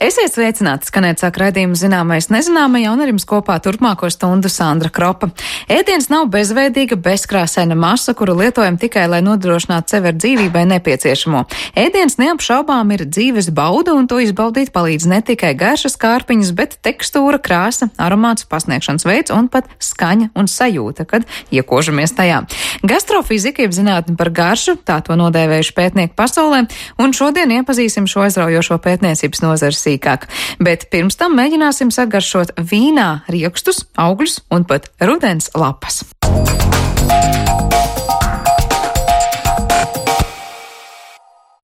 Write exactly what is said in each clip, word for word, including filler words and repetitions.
Esiet sveicināti, skanēt sāk raidījumu zināmais nezināmajā, un ar jums kopā turpmāko stundu Sandra Kropa. Ēdiens nav bezveidīga, bezkrāsaina masa, kuru lietojam tikai, lai nodrošinātu sevi ar dzīvībai nepieciešamo. Ēdiens neapšaubām ir dzīves bauda, un to izbaudīt palīdz ne tikai garšas kārpiņas, bet tekstūra, krāsa, aromāts, pasniegšanas veids un pat skaņa un sajūta, kad iekožamies tajā. Gastrofizika, jeb zinātne par garšu, tā to nodēvējuši pētnieki pasaulē, un šodien iepazīsim šo aizraujošo pētniecības nozares sīkāk. Bet pirms tam mēģināsim sagaršot vīnā riekstus, augļus un pat rudens lapas.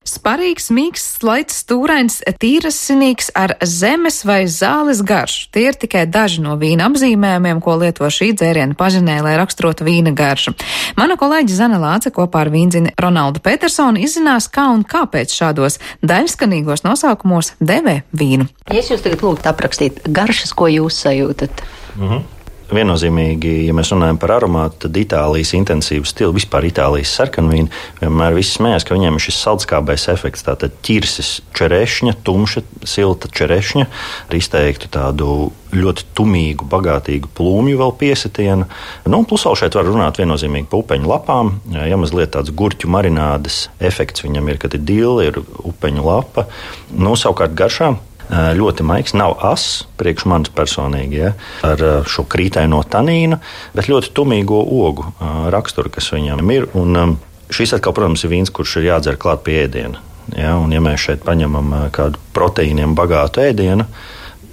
Sparīgs, mīksts, slaids, stūrains, tīrasinīgs ar zemes vai zāles garšu. Tie ir tikai daži no vīna apzīmējumiem, ko lieto šī dzēriena pazinē, lai raksturotu vīna garšu. Mana kolēģe Zane Lāce kopā ar vīndzini Ronaldu Petersonu izzinās, kā un kāpēc šādos daļskanīgos nosaukumos devē vīnu. Ja es jūs tagad lūgtu aprakstīt garšas, ko jūs sajūtat? Mhm. Viennozīmīgi, ja mēs runājam par aromātu, tad Itālijas intensīvu stilu, vispār Itālijas sarkanvīnu, vienmēr visi smējās, ka viņiem ir šis saldskābais efekts, tātad ķirsis čerešņa, tumša, silta čerešņa, ar izteiktu tādu ļoti tumīgu, bagātīgu plūmju vēl piesitienu. Nu, plus vēl šeit var runāt viennozīmīgi pa upeņu lapām, ja mazliet tāds gurķu marinādes efekts viņam ir, kad ir dili, ir upeņu lapa. Nu, savukārt garšā ļoti maigs, nav ass, priekš manis personīgi, ja, ar šo krītaino tanīnu, bet ļoti tumīgo ogu raksturu, kas viņam ir. Un šis atkal, protams, ir vīns, kurš ir jādzer klāt pie ēdiena. Ja, un ja mēs šeit paņemam kādu proteīniem bagātu ēdienu,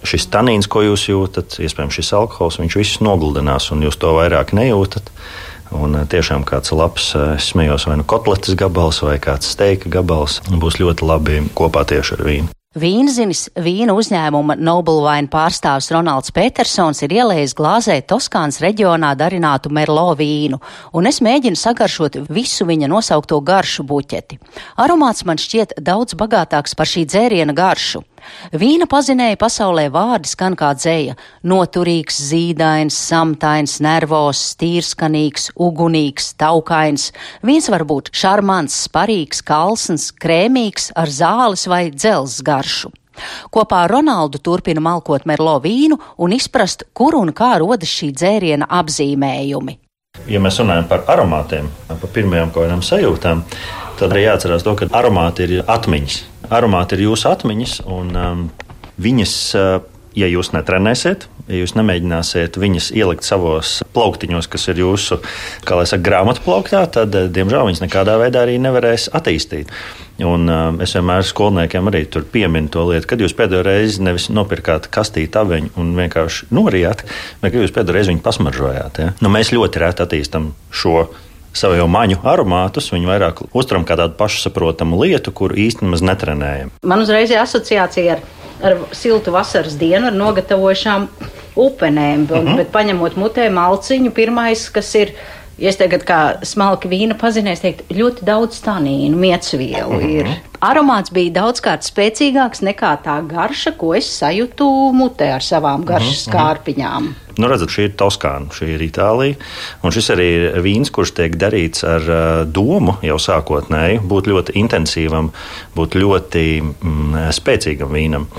šis tanīns, ko jūs jūtat, iespējams šis alkohols, viņš viss noguldinās, un jūs to vairāk nejūtat. Un tiešām kāds labs, es smējos, vai nu kotletes gabals, vai kāds steika gabals, būs ļoti labi kopā tieši ar vīnu. Vīnzinis, vīna uzņēmuma Noble Wine pārstāvs Ronalds Petersons ir ielējis glāzē Toskānas reģionā darinātu merlo vīnu, un es mēģinu sagaršot visu viņa nosaukto garšu buķeti. Aromāts man šķiet daudz bagātāks par šī dzēriena garšu. Vīna pazinēja pasaulē vārdi skan kā dzeja – noturīgs, zīdains, samtains, nervos, tīrskanīgs, ugunīgs, taukains. Vīns var būt šarmants, sparīgs, kalsns, krēmīgs, ar zāles vai dzelzs garšu. Kopā ar Ronaldu turpina malkot merlo vīnu un izprast, kur un kā rodas šī dzēriena apzīmējumi. Ja mēs runājam par aromātiem, par pirmajām kaut kādām sajūtām, tad arī jāatcerās to, ka aromāti ir atmiņas. Aromāti ir jūsu atmiņas, un um, viņas, uh, ja jūs netrenēsiet, ja jūs nemēģināsiet viņas ielikt savos plauktiņos, kas ir jūsu, kā lai saka, grāmatplauktā, tad, diemžēl, viņas nekādā veidā arī nevarēs attīstīt. Un uh, es vienmēr skolniekiem arī tur pieminu to lietu, kad jūs pēdējo reizi nevis nopirkāt kastīti aveņu un vienkārši norijāt, bet kad jūs pēdējo reizi viņu pasmaržojāt. Ja? Nu, mēs ļoti reti attīstam šo savu jau maņu aromātus, viņu vairāk uztram kā tādu pašsaprotamu lietu, kuru īsti maz netrenējam. Man uzreiz ir asociācija ar, ar siltu vasaras dienu, ar nogatavojušām upenēm, uh-huh. bet paņemot mutē malciņu, pirmais, kas ir, ja es tagad kā smalki vīna pazinēs, teikt, ļoti daudz tanīnu, miecvielu uh-huh. ir. Aromāts bija daudzkārt spēcīgāks nekā tā garša, ko es sajūtu mutē ar savām garšas uh-huh. kārpiņām. Nu, redzat, šī ir Toskāna, šī ir Itālija, un šis arī ir vīns, kurš tiek darīts ar uh, domu jau sākotnēji, būt ļoti intensīvam, būt ļoti mm, spēcīgam vīnam.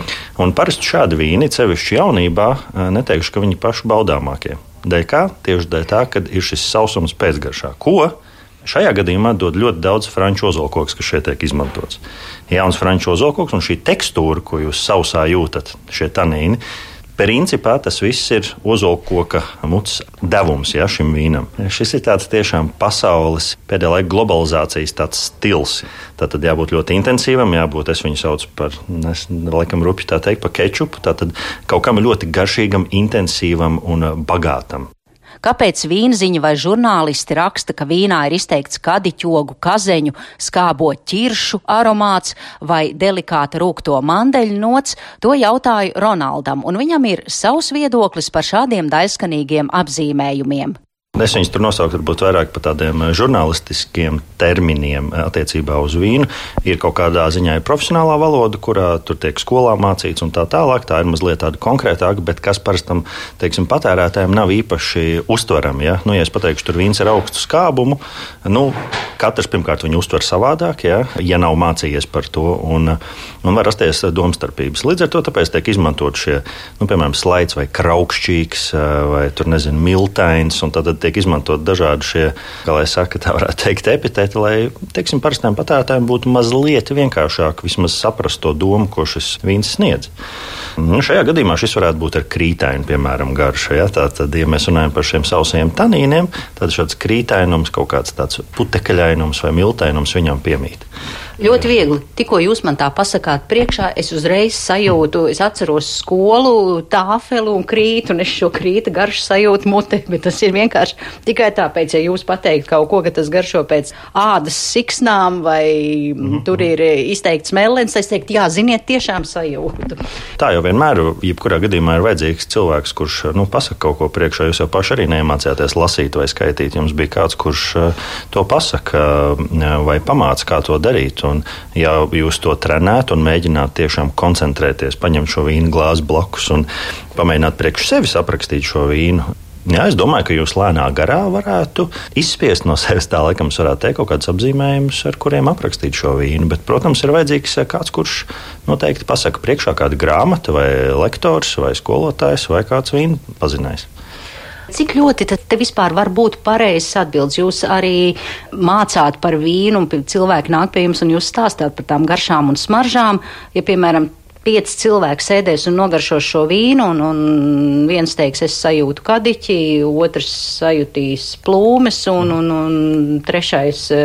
Un parasti šādi vīni, sevišķi jaunībā, uh, neteikšu, ka viņi paši baudāmākie. Dēļ kā? Tieši dēļ tā, kad ir šis sausums pēcgaršā. Ko? Šajā gadījumā dod ļoti daudz franču ozolkoks, kas šeit tiek izmantots. Jauns franču ozolkoks un šī tekstūra, ko jūs sausā jūtat, šie tanīni, principā tas viss ir ozolkoka mutes devums, ja, šim vīnam. Šis ir tāds tiešām pasaules pēdējā laika globalizācijas tāds stils. Tātad jābūt ļoti intensīvam, jābūt, es viņu saucu par, es laikam rupji tā teikt, par kečupu, tātad kaut kam ļoti garšīgam, intensīvam un bagātam. Kāpēc vīnziņi vai žurnālisti raksta, ka vīnā ir izteikts kadiķogu, kazeņu, skābo ķiršu aromāts vai delikāta rūkto mandeļu nots, to jautāju Ronaldam, un viņam ir savs viedoklis par šādiem daļskanīgiem apzīmējumiem. Es viņus tur nosauktu varbūt vairāk par tādiem žurnālistiskiem terminiem attiecībā uz vīnu. Ir kaut kādā ziņā ir profesionālā valoda, kurā tur tiek skolā mācīts un tā tālāk. Tā ir mazliet tāda konkrētāka, bet kas parastam, teiksim, patērētājiem nav īpaši uztverami. Ja? Nu, ja es pateikšu, tur vīns ir augstu skābumu, nu, katrs pirmkārt viņu uztver savādāk, ja, ja nav mācījies par to, un, un var rasties domstarpības. Līdz ar to tāpēc tiek izmantot šie, nu, piemēram, slaids vai kraukšķīgs vai tur, nezinu, miltains, un tad tiek izmantot dažādi šie, kā lai saka, tā varētu teikt, epiteti, lai, teiksim, parastiem patērētājiem būtu mazliet vienkāršāk vismaz saprast to domu, ko šis vīns sniedz. Nu, šajā gadījumā šis varētu būt ar krītainu, piemēram, garšu. Ja? Tātad, ja mēs runājam par šiem sausajiem tanīniem, tad šāds krītainums, kaut kāds tāds putekļainums vai miltainums viņam piemīt. Ļoti viegli. Tikko jūs man tā pasakāt priekšā, es uzreiz sajūtu, es atceros skolu, tāfeli un krītu, un es šo krīta garšu sajūtu mutē, bet tas ir vienkārši tikai tāpēc, ja jūs pateikt kaut ko, ka tas garšo pēc ādas siksnām vai mm-hmm. tur ir izteikts melens, es teiktu, jā, ziniet, tiešām sajūtu. Tā jau vienmēr, jebkurā gadījumā ir vajadzīgs cilvēks, kurš, nu, pasaka kaut ko priekšā, jūs jau paši arī neiemācījāties lasīt vai skaitīt, jums bija kāds, kurš to pasaka vai pamāca, kā to darīt. Un, ja jūs to trenētu un mēģinātu tiešām koncentrēties, paņemt šo vīnu glāzi blakus un pamēģināt priekš sevis aprakstīt šo vīnu, jā, es domāju, ka jūs lēnā garā varētu izspiest no sevis, tā laikam es varētu teikt kaut kādus apzīmējumus, ar kuriem aprakstīt šo vīnu. Bet, protams, ir vajadzīgs kāds, kurš noteikti pasaka priekšā kāda grāmata vai lektors vai skolotājs vai kāds vīnu pazinājs. Cik ļoti tad te vispār var būt pareizs atbildes? Jūs arī mācāt par vīnu, un cilvēki nāk pie jums un jūs stāstāt par tām garšām un smaržām. Ja, piemēram, pieci cilvēki sēdēs un nogaršos šo vīnu, un, un viens teiks, es sajūtu kadiķi, otrs sajūtīs plūmes, un, un, un trešais e,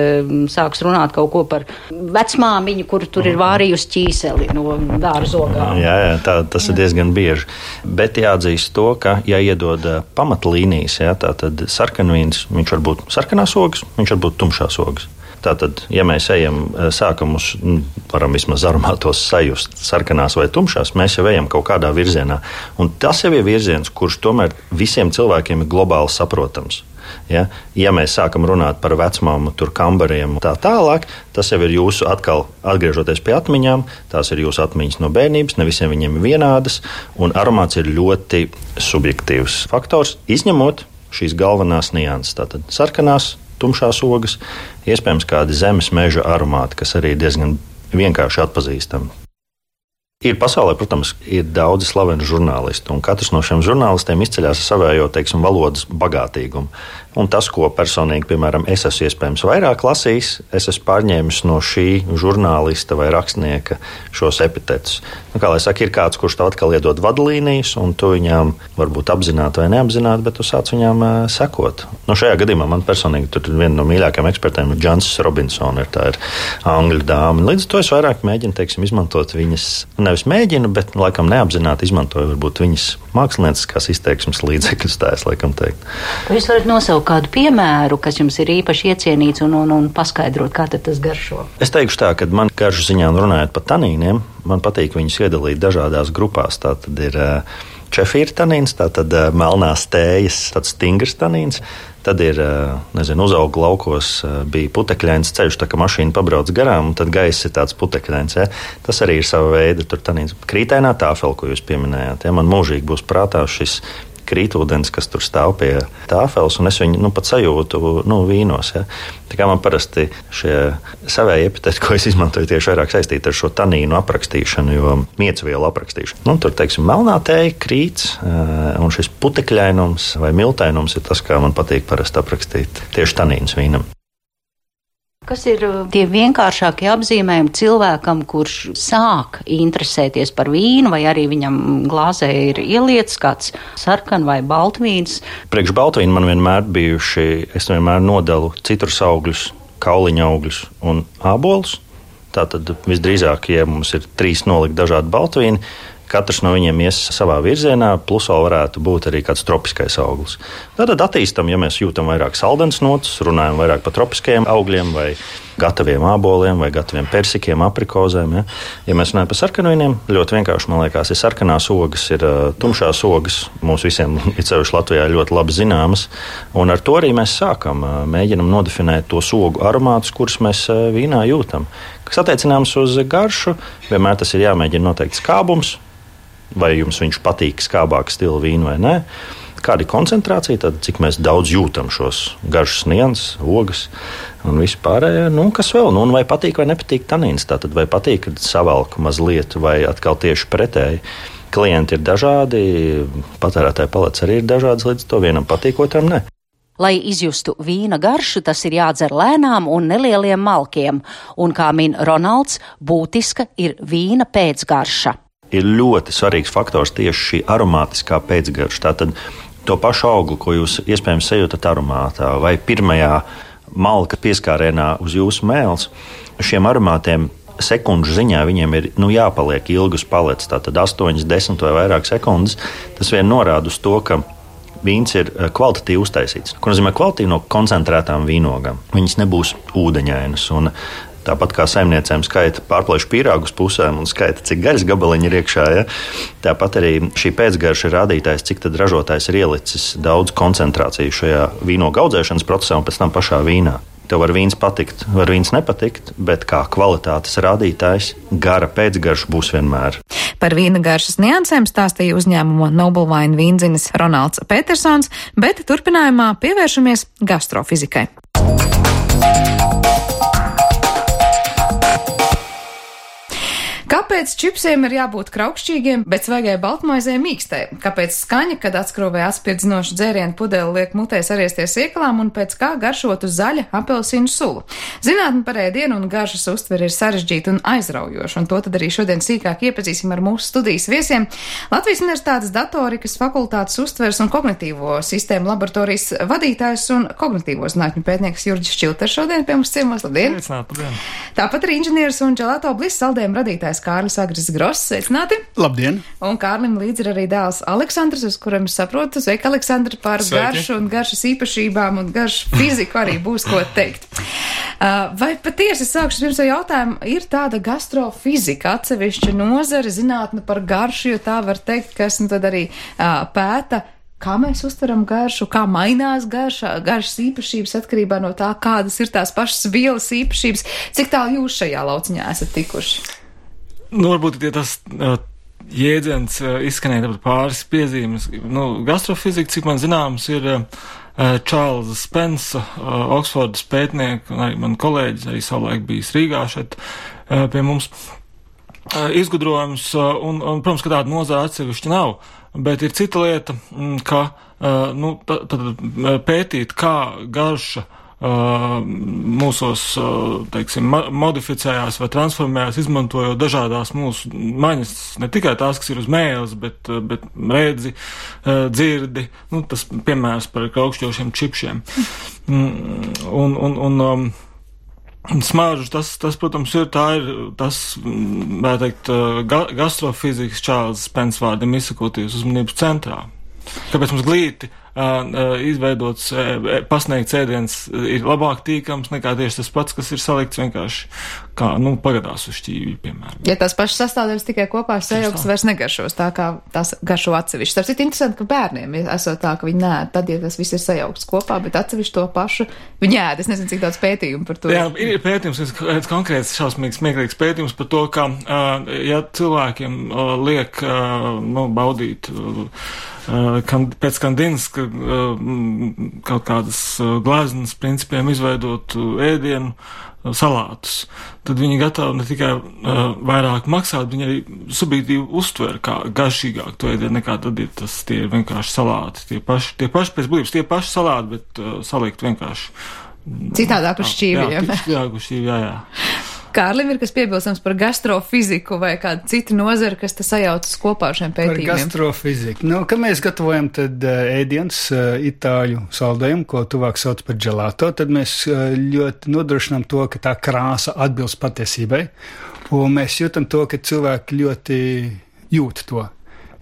sāks runāt kaut ko par vecmāmiņu, kur tur ir vārījusi ķīseli no dārzogām. Jā, jā, tā, tas ir diezgan bieži. Bet jāatzīst to, ka, ja iedod pamatlīnijas, jā, tā tad sarkanvīns, viņš var būt sarkanās ogas, viņš var būt tumšās ogas. Tātad, ja mēs ejam, sākam uz, varam vismaz aromātos sajust sarkanās vai tumšās, mēs jau ejam kaut kādā virzienā. Un tas jau ir virziens, kurš tomēr visiem cilvēkiem ir globāli saprotams. Ja, ja mēs sākam runāt par vecmāmu, tur kambariem un tā tālāk, tas jau ir jūsu atkal atgriežoties pie atmiņām, tās ir jūsu atmiņas no bērnības, ne visiem viņiem ir vienādas, un aromāts ir ļoti subjektīvs faktors, izņemot šīs galvenās nianses, tātad sarkanās, tumšās ogas, iespējams kādi zemes meža aromāti, kas arī diezgan vienkārši atpazīstami. Ir pasaulē, protams, ir daudzi slaveni žurnālisti, un katrs no šiem žurnālistiem izceļās ar savējo, teiksim, valodas bagātīgumu. Un tas, ko personīgi, piemēram, es esmu iespējams vairāk lasījis, es esmu pārņēmis no šī žurnālista vai rakstnieka šos epitetus. Nu, kā lai saka, ir kāds, kurš tev atkal iedod vadlīnijas, un tu viņām varbūt apzināti vai neapzināti, bet tu sāc viņām uh, sekot. Nu, šajā gadījumā man personīgi tur viena no mīļākajiem ekspertiem ir Jancis Robinsona, ir tā ir angļu dāma. Līdz ar to es vairāk mēģinu, teiksim, izmantot viņas, nevis mēģinu, bet laikam neapzināti izmantoju varbūt viņas mākslinieckās izteiksmes līdzekļus, tā es laikam teikt. Jūs varat nosaukt kādu piemēru, kas jums ir īpaši iecienīts un, un, un paskaidrot, kā tad tas garšo? Es teikšu tā, ka man garšu ziņā runājot par tanīniem, man patīk viņus iedalīt dažādās grupās. Tā tad ir čefīra tanīns, tā tad melnās tējas, tāds stingrs tanīns. Tad ir, nezinu, uzauga laukos, bija putekļains ceļš, tā kā mašīna pabrauc garām, un tad gaiss ir tāds putekļains. Ja? Tas arī ir sava veida tur tanīns. Krītainā tāfeli, ko jūs pieminējāt, ja? Man mūžīgi būs prātā šis krītūdens, kas tur stāv pie tāfeles, un es viņu nu, pat sajūtu nu, vīnos. Ja? Tā kā man parasti šie savēji epiteti, ko es izmantoju, tieši vairāk saistīti ar šo tanīnu aprakstīšanu, jo miecvielu aprakstīšanu. Nu, tur, teiksim, melnā tēja, krīts, un šis putekļainums vai miltainums ir tas, kā man patīk parasti aprakstīt tieši tanīns vīnam. Kas ir tie vienkāršākie apzīmējumi cilvēkam, kurš sāk interesēties par vīnu, vai arī viņam glāzē ir ielietis kāds sarkan vai baltvīns? Priekš baltvīnu man vienmēr bijuši, es vienmēr nodalu citrus augļus, kauliņa augļus un ābolus. Tātad visdrīzāk, ja mums ir trīs nolikt dažādi baltvīni, katrs no viņiem ies savā virzienā, plus vēl varētu būt arī kāds tropiskais auglis. Tātad attīstam, ja mēs jūtam vairāk saldens notus, runājam vairāk par tropiskajiem augļiem vai gataviem āboliem vai gataviem persikiem, aprikozēm. Ja, ja mēs runājam par sarkanvīniem, ļoti vienkārši, man liekas, ir sarkanās ogas, ir uh, tumšās ogas. Mums visiem, it sevišķi Latvijā, ļoti labi zināmas. Un ar to arī mēs sākam, uh, mēģinam nodefinēt tos ogu aromātus, kurus mēs uh, vīnā jūtam. Kas attiecināms uz garšu, vienmēr tas ir jāmēģina noteikti skābums, vai jums viņš patīk skābāku stilu vīnu vai nē. Kāda ir koncentrācija, tad cik mēs daudz jūtam šos garšas nianses, ogas un vispārējā. Nu, kas vēl? Nu, vai patīk vai nepatīk tanīns? Tātad vai patīk, kad savalku mazliet, vai atkal tieši pretēji. Klienti ir dažādi, patērētāja palets arī ir dažāds, līdz to vienam patīk, otram ne. Lai izjustu vīna garšu, tas ir jādzer lēnām un nelieliem malkiem, un, kā min Ronalds, būtiska ir vīna pēcgarša. Ir ļoti svarīgs faktors tieši šī aromātiskā pēcgarša. Tātad to pašu augli, ko jūs iespējams sajūtat aromātā vai pirmajā malka pieskārienā uz jūsu mēles, šiem aromātiem sekundžu ziņā viņiem ir nu, jāpaliek ilgi uz paletes, tātad astoņas, desmit vai vairāk sekundes. Tas vien norāda uz to, ka vīns ir kvalitatīvi uztaisīts. Ko nozīmē kvalitatīvi? No koncentrētām vīnogām. Viņas nebūs ūdeņainas. Un tāpat kā saimniecēm skaita pārplēšu pīrāgus pusēm un skaita, cik gaļas gabaliņi ir iekšā, ja? Tāpat arī šī pēcgarša ir rādītājs, cik tad ražotājs ir ielicis daudz koncentrāciju šajā vīnogu audzēšanas procesā un pēc tam pašā vīnā. Tev var vīns patikt, var vīns nepatikt, bet kā kvalitātes rādītājs gara pēcgarša būs vienmēr. Par vīna garšas niansēm stāstīja uzņēmuma Noble Wine vīndzinis Ronalds Petersons, bet turpinājumā pievēršamies gastrofizikai. Kāpēc čipsiem ir jābūt kraukšķīgiem, bet svaigai baltmaizei mīkstai? Kāpēc skaņa, kad atskrovē atspirdzinošu dzērienu pudeli liek mutē sariesties iekalām un pēc kā garšotu zaļa apelsīnu sulu? Zinātne par ēdienu un garšas uztveri ir sarežģīta un aizraujoša, un to tad arī šodien sīkāk iepazīsim ar mūsu studijas viesiem. Latvijas Universitātes datorikas fakultātes uztveres un kognitīvo sistēmu laboratorijas vadītājs un kognitīvo zinātņu pētnieks Jurģis Čilters šodien pie mums ciemos. Labdien! Labdien! Tāpat arī inženieris un Gelato Bliss saldējumu radītājs Kārlis Agris Gross. Sveicināti! Labdien! Un Kārlim līdzi ir arī dēls Aleksandrs, uz kuram es saprotu. Sveiki, Aleksandri, par Sveiki. Garšu un garšas īpašībām un garšu fiziku arī būs ko teikt. Uh, vai patiesi sākšu pirms jau jautājumu, ir tāda gastrofizika atsevišķa nozare, zinātne par garšu, jo tā var teikt, kas nu tad arī uh, pēta, kā mēs uztveram garšu, kā mainās garša, garšas īpašības atkarībā no tā, kādas ir tās pašas vielas īpašības. Cik tālu jūs šajā lauciņā esat tikuši? Nu, varbūt, ja tas uh, jēdziens uh, izskanēja pāris piezīmes. Nu, gastrofizika, cik man zināms, ir uh, Čārlza Spensa, uh, Oksfordas pētnieka, un arī man kolēģis arī savulaik bijis Rīgā šeit uh, pie mums. Uh, izgudrojums, uh, un, un, protams, ka tāda nozara atsevišķi nav, bet ir cita lieta, ka uh, nu, tad, tad pētīt, kā garša Uh, mūsos, uh, teiksim, modificējās vai transformējās, izmantojot dažādās mūsu maņas, ne tikai tās, kas ir uz mēles, bet, uh, bet redzi, uh, dzirdi, nu, tas piemērs par kraukšķošiem čipšiem. Mm, un, un, un um, smāržu, tas, tas, protams, ir, tā ir, tas, vai teikt, ga, gastrofizikas Čārlza Spensa vārdiem izsakoties uzmanības centrā. Kāpēc mums glīti uh, izveidots, uh, pasniegts ēdiens ir labāk tīkams nekā tieši tas pats, kas ir salikts vienkārši kā, nu, pagadās uz šķīvī, piemēram. Ja tās pašas sastāvdaļas tikai kopā sajauks, vairs negaršos tā, kā tās garšo atsevišķi. Tāpēc ir interesanti, ka bērniem esot tā, ka viņi nēd, tad, ja tas viss ir sajaukts kopā, bet atsevišķi to pašu viņi ēd. Es nezinu, cik daudz pētījumu par to. Jā, ir pētījums, ir konkrēts šausmīgs, smieklīgs pētījums par to, ka, uh, ja cilvēkiem uh, liek, uh, nu, baudīt, uh, Kan, pēc Kandinska kaut kādas gleznas principiem izveidot ēdienu salātus, tad viņi gatavi ne tikai uh, vairāk maksāt, viņi arī subjektīvi uztver kā garšīgāk to ēdienu nekā tad ir tas, tie ir vienkārši salāti, tie paši, tie paši pēc blības, tie paši salāti, bet uh, salikt vienkārši. Citādāk uz šķīviem. Jā, citādāk uz šķīviem, jā, jā. Kārlim ir kas piebilstams par gastrofiziku vai kādu citu nozari, kas te sajaucas kopā ar šiem pētījumiem? Par gastrofiziku. Nu, kad mēs gatavojam tad ēdiens, itāļu saldējumu, ko tuvāk sauc par gelato, tad mēs ļoti nodrošinām to, ka tā krāsa atbilst patiesībai, un mēs jūtam to, ka cilvēki ļoti jūt to.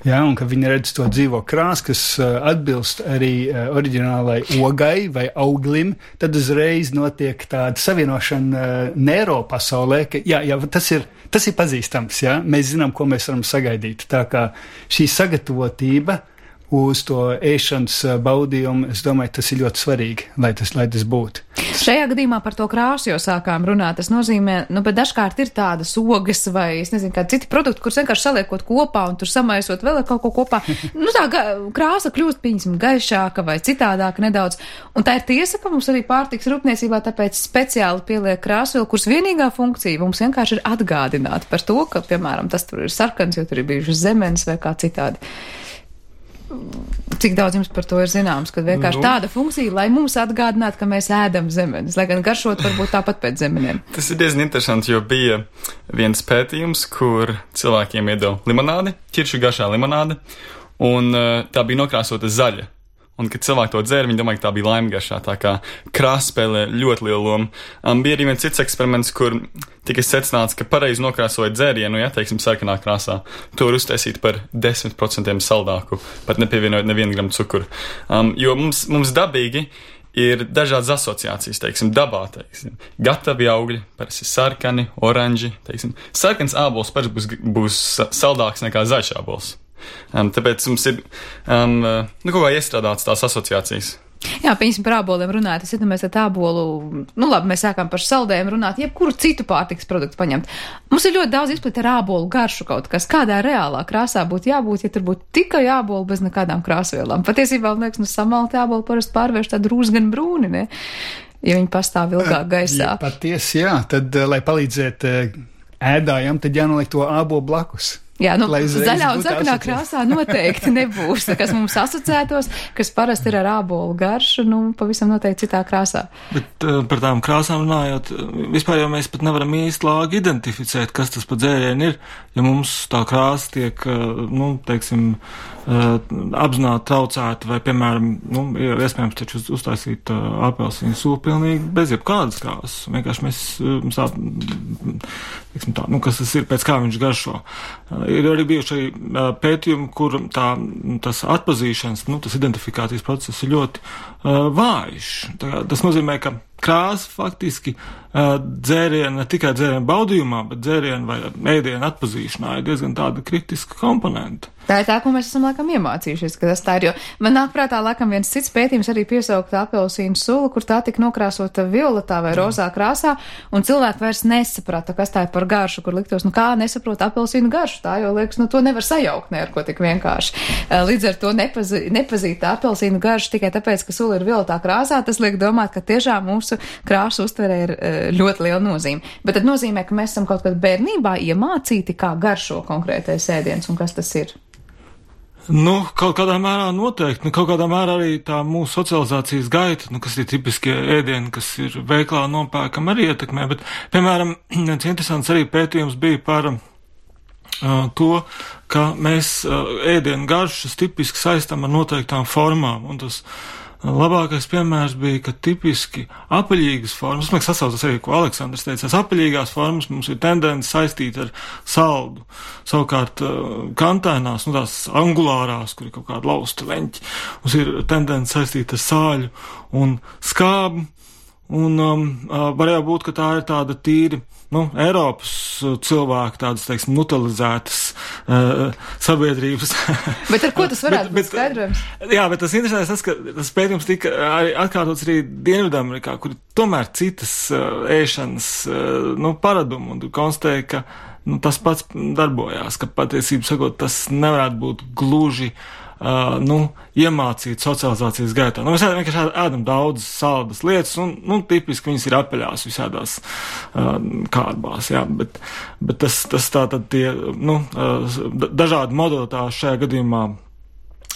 Jā, un ka viņi redz to dzīvo krāsu, kas uh, atbilst arī uh, oriģinālai ogai vai auglim, tad uzreiz notiek tāda savienošana uh, neiropasaulē, ka jā, jā, tas ir, tas ir pazīstams, jā, mēs zinām, ko mēs varam sagaidīt. Tā kā šī sagatavotība uz to ēšanas baudījumu, es domāju, tas ir ļoti svarīgi, lai tas, lai tas būtu. Šajā gadījumā par to krāsu jau sākām runāt. Tas nozīmē, nu, bet dažkārt ir tādas ogas vai, es nezinu, kādi citi produkti, kurus vienkārši saliekot kopā un tur samaisot vēl kaut ko kopā. Nu, tā krāsa kļūst, pieņemsim, gaišāka vai citādāka nedaudz. Un tā ir tiesa, ka mums arī pārtiks rūpniecībā tāpēc speciāli pieliek krāsvielu, kuras vienīgā funkcija mums vienkārši ir atgādināt par to, ka, piemēram, tas tur ir sarkans, jo tur ir bijušas zemenes vai kā citādi. Cik daudz jums par to ir zināms, ka vienkārši nu, tāda funkcija, lai mums atgādinātu, ka mēs ēdam zemenes, lai gan garšot varbūt tāpat pēc zemenēm. Tas ir diezgan interesanti, jo bija viens pētījums, kur cilvēkiem iedeva limonādi, ķiršu garšā limonādi, un uh, tā bija nokrāsota zaļa. Un, kad cilvēki to dzēra, viņi domāja, ka tā bija laime garšā, tā kā krāsa spēlē ļoti lielu lomu. Um, bija arī viens cits eksperiments, kur tika secināts, ka pareizi nokrāsojot dzērienu, ja, teiksim, sarkanā krāsā, to var uztaisīt par desmit procentiem saldāku, pat nepievienojot nevienu gramu cukuru. Um, jo mums, mums dabīgi ir dažādas asociācijas, teiksim, dabā, teiksim, gatavi augļi, parasti sarkani, oranži, teiksim. Sarkans ābols parasti būs, būs saldāks nekā zaļš ābols. Um, tāpēc mums ir um, nu, kaut kā iestrādāts tās asociācijas. Jā, piemēram, par āboliem runājot, es iedomājos, ka ābolu, nu labi, mēs sākām par saldējumu runāt, jebkuru citu pārtikas produktu paņemt. Mums ir ļoti daudz izplat ar ābolu garšu kaut kas, kādā reālā krāsā būtu jābūt, ja tur būtu tikai ābolu bez nekādām krāsvielām. Patiesībā, man liekas, nu samalti ābolu parasti pārvērš tādu rūsgan brūni, ne? Ja viņi pastāv ilgāk gaisā. Ja, patiesi, jā, tad, lai palīdzētu ēdājam, tad jānoliek to ābolu blakus. Jā, nu, zaļā un sarkanā krāsā noteikti nebūs, kas mums asociētos, kas parasti ir ar ābolu garšu, nu, pavisam noteikti citā krāsā. Bet uh, par tām krāsām runājot, vispār jau mēs pat nevaram īsti lāgi identificēt, kas tas pa dzērienu ir, ja mums tā krāsa tiek, uh, nu, teiksim, uh, apzināti traucēta, vai, piemēram, nu, ir iespējams taču uztaisīt uh, apelsīnu sulu pilnīgi bez jebkādas krāsas. Vienkārši mēs, uh, mums tā, teiksim tā, nu, kas tas ir, pēc kā viņš garšo. Uh, Ir arī bijuši arī uh, pētījumi, kur tā, tas atpazīšanas, nu, tas identifikācijas process ir ļoti uh, vājš. Tā, tas nozīmē, ka krāsa faktiski uh, dzēriena, ne tikai dzēriena baudījumā, bet dzēriena vai ēdiena atpazīšanā ir diezgan tāda kritiska komponenta. Tā ir tā, ko mēs esam laikam iemācījušies, ka tas tā ir, jo man nāk prātā laikam viens cits pētījums arī piesauktā apelsīnu sula, kur tā tika nokrāsota violetā vai rozā krāsā, un cilvēki vairs nesaprata, kas tā ir par garšu, kur liktos, nu kā nesaprot apelsīnu garšu, tā jau liekas, nu to nevar sajaukt ne ar ko tik vienkārši. Līdz ar to nepazī, nepazīt apelsīnu garšu tikai tāpēc, ka sula ir violetā krāsā, tas liek domāt, ka tiešām mūsu krāsu uztverē ir ļoti liela nozīme. Bet tad nozīmē, ka mēs esam kaut kad bērnībā iemācīti, kā garšo konkrētais ēdiens un kas tas ir. Nu, kaut kādā mērā noteikti, nu, kaut kādā mērā arī tā mūsu socializācijas gaita, nu, kas ir tipiskie ēdieni, kas ir veiklā nopērkam, arī ietekmē, bet, piemēram, viens interesants arī pētījums bija par uh, to, ka mēs uh, ēdienu garšas tipiski saistam ar noteiktām formām, un tas labākais piemērs bija, ka tipiski apaļīgas formas, man sasaucas arī, ko Aleksandrs teica, apaļīgās formas mums ir tendence saistīt ar saldu. Savukārt kantainās, nu tās angulārās, kur ir kaut kāda lausta leņķi, mums ir tendence saistīt ar sāļu un skābu, un um, varēja būt, ka tā ir tāda tīri, nu, Eiropas cilvēku tādas, teiksim, nutalizētas uh, sabiedrības. Bet ar ko tas varētu būt skaidrojums? Jā, bet tas interesants tas, ka tas pētījums tika arī atkārtots arī Dienvidamerikā, kur tomēr citas uh, ēšanas, uh, nu, paradumu, un konstatēja, ka, nu, tas pats darbojās, ka patiesību sakot, tas nevarētu būt gluži Uh, nu, iemācīt socializācijas gaitā. Nu, mēs vienkārši ēdam daudz saldas lietas, un, nu, tipiski viņas ir apaļās visādās uh, kārbās, jā, bet, bet tas, tas tā tad tie, nu, uh, dažādi modalitāši šajā gadījumā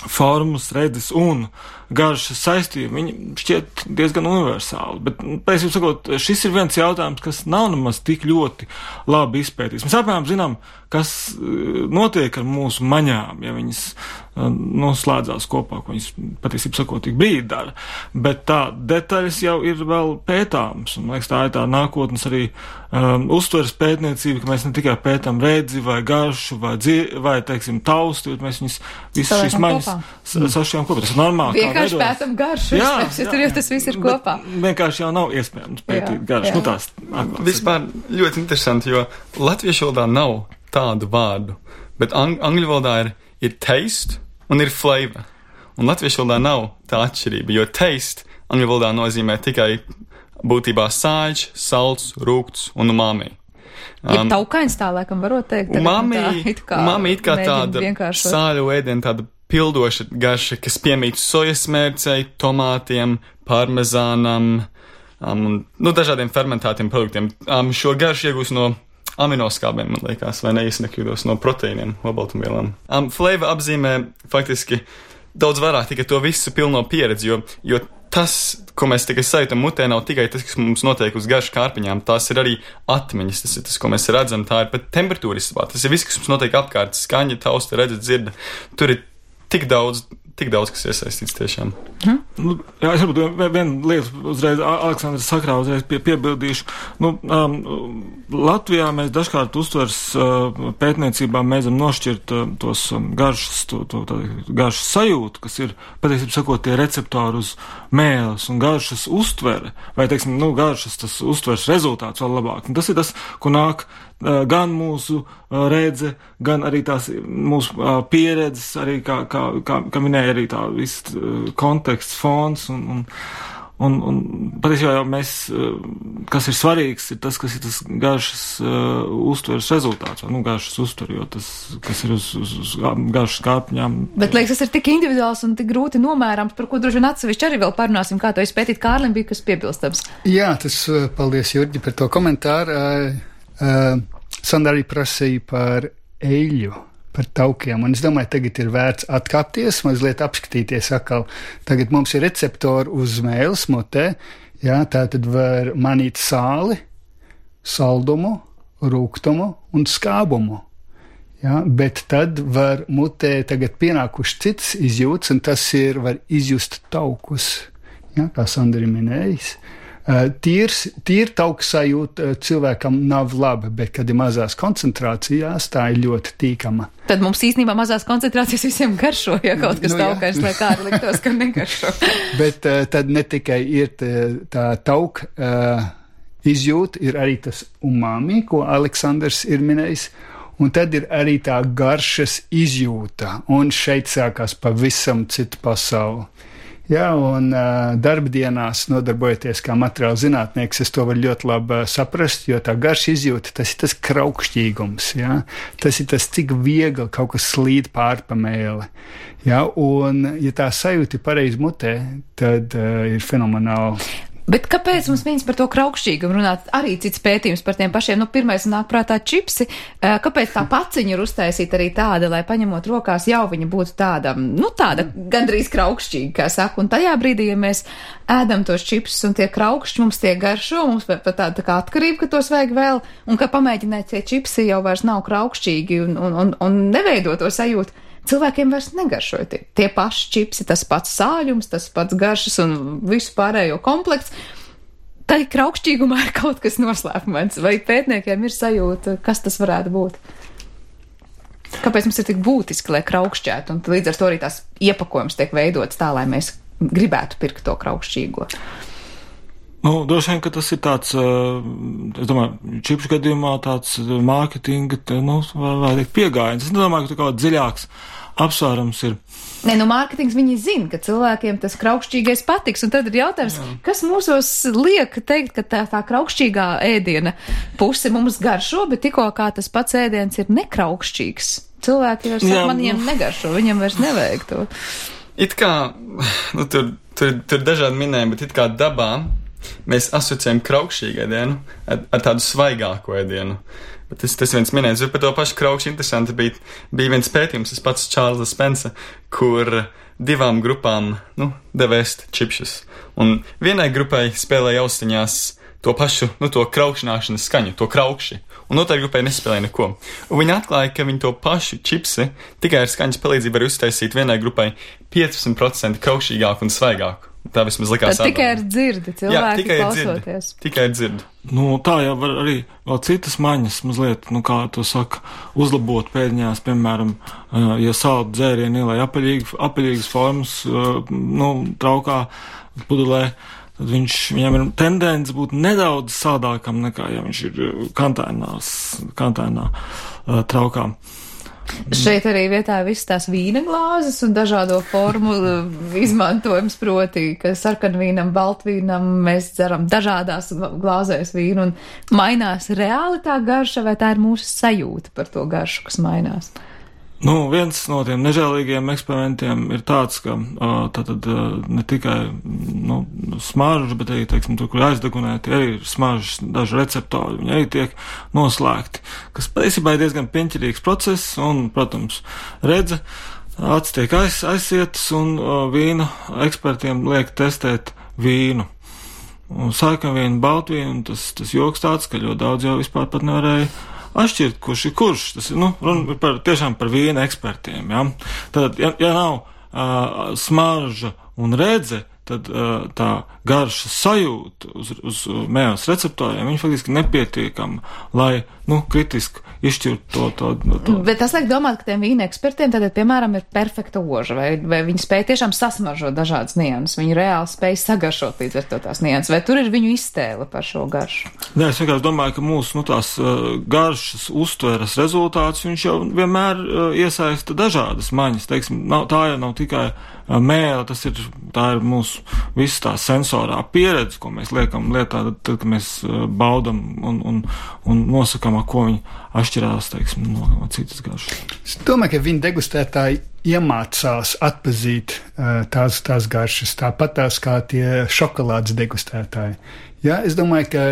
formas, redzes un garšas saistījumi, viņi šķiet diezgan universāli, bet, pēc jums sakot, šis ir viens jautājums, kas nav nemaz tik ļoti labi izpētīts. Mēs apmēram zinām, kas notiek ar mūsu maņām, ja viņas noslēdzās kopā, ko viņas patiesībā sakot tik brīdi dara. Bet tā detaļas jau ir vēl pētāmas, un, liekas, tā ir tā nākotnes arī um, uztveres pētniecība, ka mēs ne tikai pētām redzi vai garšu vai, dzie, vai teiksim, tausti, bet mēs viņas visas šīs maņas sašķijām kopā. Tas ir normāli. Vienkārši pētam garšu, jā, jā, tur jau tas viss ir kopā. Vienkārši jau nav iespējams pētīt jā, garšu. Jā. Nu, tās atklāts. Vispār ļoti interesanti, jo latviešu valodā nav tādu vārdu, bet ang angļu valodā ir, ir taste un ir flavor. Un latviešu valodā nav tā atšķirība, jo taste angļu valodā nozīmē tikai būtībā sāļš, salds, rūgts un umami. Um, ja taukains tā, laikam, varot teikt. Umami, it kā, umami it kā tāda sāļu ēdiena, tāda pildoša garša, kas piemīt sojas mērcei, tomātiem, parmezānam, um, nu, dažādiem fermentētiem produktiem. Um, šo garšu iegūst no aminoskābēm, man liekas, vai neizsnekļūdos no proteīniem, olbaltumvielām. Um, flavor apzīmē faktiski daudz vairāk tikai to visu pilno pieredzi, jo, jo tas, ko mēs tikai sajūtam mutē, nav tikai tas, kas mums notiek uz garšu kārpiņām, tās ir arī atmiņas, tas ir tas, ko mēs redzam, tā ir pat temperatūra istabā, tas ir viss, kas mums notiek apkārt, skaņa, tausta, redzat, dzirda, tur ir tik daudz, tik daudz, kas iesaistīts tiešām. Hmm? Nu, jā, es varbūt vienu lietu uzreiz, Aleksandrs sakrā uzreiz pie, piebildīšu. Nu, um, Latvijā mēs dažkārt uztvers uh, pētniecībā mēdzam nošķirt uh, tos um, garšas, to, to, to garšas sajūtu, kas ir, patiesībā sakot, tie receptori uz mēles un garšas uztvere, vai, teiksim, nu, garšas tas uztvers rezultāts vēl labāk. Un tas ir tas, ko nāk uh, gan mūsu uh, redze, gan arī tās mūsu uh, pieredzes, arī kā, kā, kā, kā minēja arī tā viss uh, konteksts, fons un, un, un, un patiesībā jau mēs, uh, kas ir svarīgs, ir tas, kas ir tas garšas uh, uztveres rezultāts, vai, nu, garšas uztver, jo tas, kas ir uz, uz, uz garšas kārpiņām. Bet, liekas, tas ir tik individuāls un tik grūti nomērams, par ko droši vien atsevišķi arī vēl parunāsim, kā to izpētīt. Kārlim bija kas piebilstams. Jā, tas, paldies, Jurģi, par to komentāru. Uh, uh, Sandra arī prasīja par eļļu, par taukiem, un es domāju, tagad ir vērts atkāpties, mazliet apskatīties atkal. Tagad mums ir receptori uz mēles mutē, jā, tā tad var manīt sāli, saldumu, rūgtumu un skābumu. Jā, bet tad var mutē tagad pienākuši cits izjūts, un tas ir, var izjust taukus, jā, kā Sandri minējis. Tīrs, tīri tauku sajūta cilvēkam nav laba, bet, kad ir mazās koncentrācijās, tā ir ļoti tīkama. Tad mums īstenībā mazās koncentrācijas visiem garšo, ja kaut kas nu, taukais, lai kā arī liktos, ka negaršo. Bet uh, tad ne tikai ir tā, tā tauka uh, izjūta, ir arī tas umami, ko Aleksandrs ir minējis, un tad ir arī tā garšas izjūta, un šeit sākās pavisam citu pasauli. Jā, un uh, darbdienās nodarbojoties kā materiāla zinātnieks, es to varu ļoti labi uh, saprast, jo tā garša izjūta, tas ir tas kraukšķīgums, jā, tas ir tas, cik viegli kaut kas slīd pār pa mēli, jā, un ja tā sajūta ir pareizi mutē, tad uh, ir fenomenāli. Bet kāpēc mums viņas par to kraukšķīgumu runāt? Arī cits pētījums par tiem pašiem. Nu, pirmais nāk prātā čipsi. Kāpēc tā paciņa ir uztaisīta arī tāda, lai paņemot rokās jau viņa būtu tāda, nu tāda gandrīz kraukšķīga, kā saka. Un tajā brīdī, ja mēs ēdam tos čipsus un tie kraukšķi, mums tie garšo, mums pat tāda tā kā atkarība, ka tos vajag vēl, un ka pamēģināt tie čipsi jau vairs nav kraukšķīgi un, un, un, un neveido to sajūtu. Cilvēkiem vairs negaršoja tie, tie paši čipsi, tas pats sāļums, tas pats garšas un visu pārējo komplekts. Tā kraukšķīgumā ir kaut kas noslēpumains, vai pētniekiem ir sajūta, kas tas varētu būt? Kāpēc mums ir tik būtiski, lai kraukšķētu, un līdz ar to arī tās iepakojums tiek veidots tā, lai mēs gribētu pirkt to kraukšķīgo? Nu, droši vien, ka tas ir tāds, es domāju, čipšu gadījumā tāds mārketinga, nu, vai teikt piegājiens. Es nedomāju, ka tu kaut dziļāks apsvērums ir. Nē, nu, mārketings viņi zina, ka cilvēkiem tas kraukšķīgais patiks, un tad ir jautājums, jā. Kas mūsos liek teikt, ka tā, tā kraukšķīgā ēdiena puse mums garšo, bet tikko kā tas pats ēdiens ir nekraukšķīgs. Cilvēki vairs saka, man viņiem negaršo, viņiem vairs nevajag to. It kā, nu, tur, tur, tur dažādi minējumi, bet it kā dabā mēs asociējam kraukšķīgu ēdienu ar, ar tādu svaigāku ēdienu. Bet tas, tas viens minējums, jo par to pašu kraukšķi interesanti bija, bija viens pētījums, tas pats Čārlza Spensa, kur divām grupām, nu, deva ēst čipšus. Un vienai grupai spēlēja austiņās to pašu, nu, to kraukšanāšanas skaņu, to kraukši. Un otrai grupai nespēlēja neko. Un viņi atklāja, ka viņi to pašu čipsi tikai ar skaņas palīdzību var uztaisīt vienai grupai piecdesmit procenti kraukšīgāku un svaigāku. Tā vismaz likās. Tad tikai ar dzirdi, cilvēki Jā, tikai klausoties. Dzirdi, tikai ar dzirdi. Nu, tā jau var arī vēl citas maņas mazliet, nu, kā to saka, uzlabot pēdiņās, piemēram, ja saldu dzērienu ielai apaļīgi, apaļīgas formas, nu, traukā, pudelē, tad viņš, viņam ir tendence būt nedaudz sādākam nekā, ja viņš ir kantainās, kantainā traukā. Šeit arī vietā ir visas tās vīna glāzes un dažādo formu izmantojums, proti, ka sarkanvīnam, baltvīnam mēs dzeram dažādās glāzēs vīnu un mainās reāli tā garša, vai tā ir mūsu sajūta par to garšu, kas mainās? Nu, viens no tiem nežēlīgiem eksperimentiem ir tāds, ka tātad ne tikai nu, smarža, bet arī, teiksim, tur, kur aizdegunēti, arī ir smaržas daži receptori, viņi arī tiek noslēgti, kas patiesībā ir diezgan pieņķirīgs process, un, protams, redze, acis tiek aiz, aizsietas, un vīnu ekspertiem liek testēt vīnu. Un sarkanvīnu, baltvīnu, tas, tas joks tāds, ka ļoti daudz jau vispār pat nevarēja atšķirt, kurš ir kurš. Tas ir, nu, runa par, tiešām par vīna ekspertiem, ja. Tad, ja, ja nav uh, smarža un redze, tad uh, tā garša sajūta uz, uz mēles receptoriem, viņi faktiski nepietiekama, lai, nu, kritiski izšķirtu to, to, to. Bet tas liek domāt, ka tiem vīna ekspertiem tātad, piemēram, ir perfekta oža, vai, vai viņi spēj tiešām sasmaržot dažādas nianses, viņi reāli spēj sagaršot līdz ar to tās nianses, vai tur ir viņu iztēle par šo garšu? Nē, es vienkārši domāju, ka mūsu, nu, tās uh, garšas uztveres rezultāts, viņš jau vienmēr uh, iesaista dažādas maņas, teiksim, nav, tā jau nav tikai uh, mēle, tas ir, tā ir mūsu viss tā sensorā pieredze, ko mēs liekam lietā, tad, tad kad mēs uh, baudam un, un, un nosakam, ar ko viņi atšķirās, teiksim, no, no citas garšas. Es domāju, ka viņi degustētāji iemācās atpazīt uh, tās, tās garšas, tāpat tās kā tie šokolādes degustētāji. Ja, es domāju, ka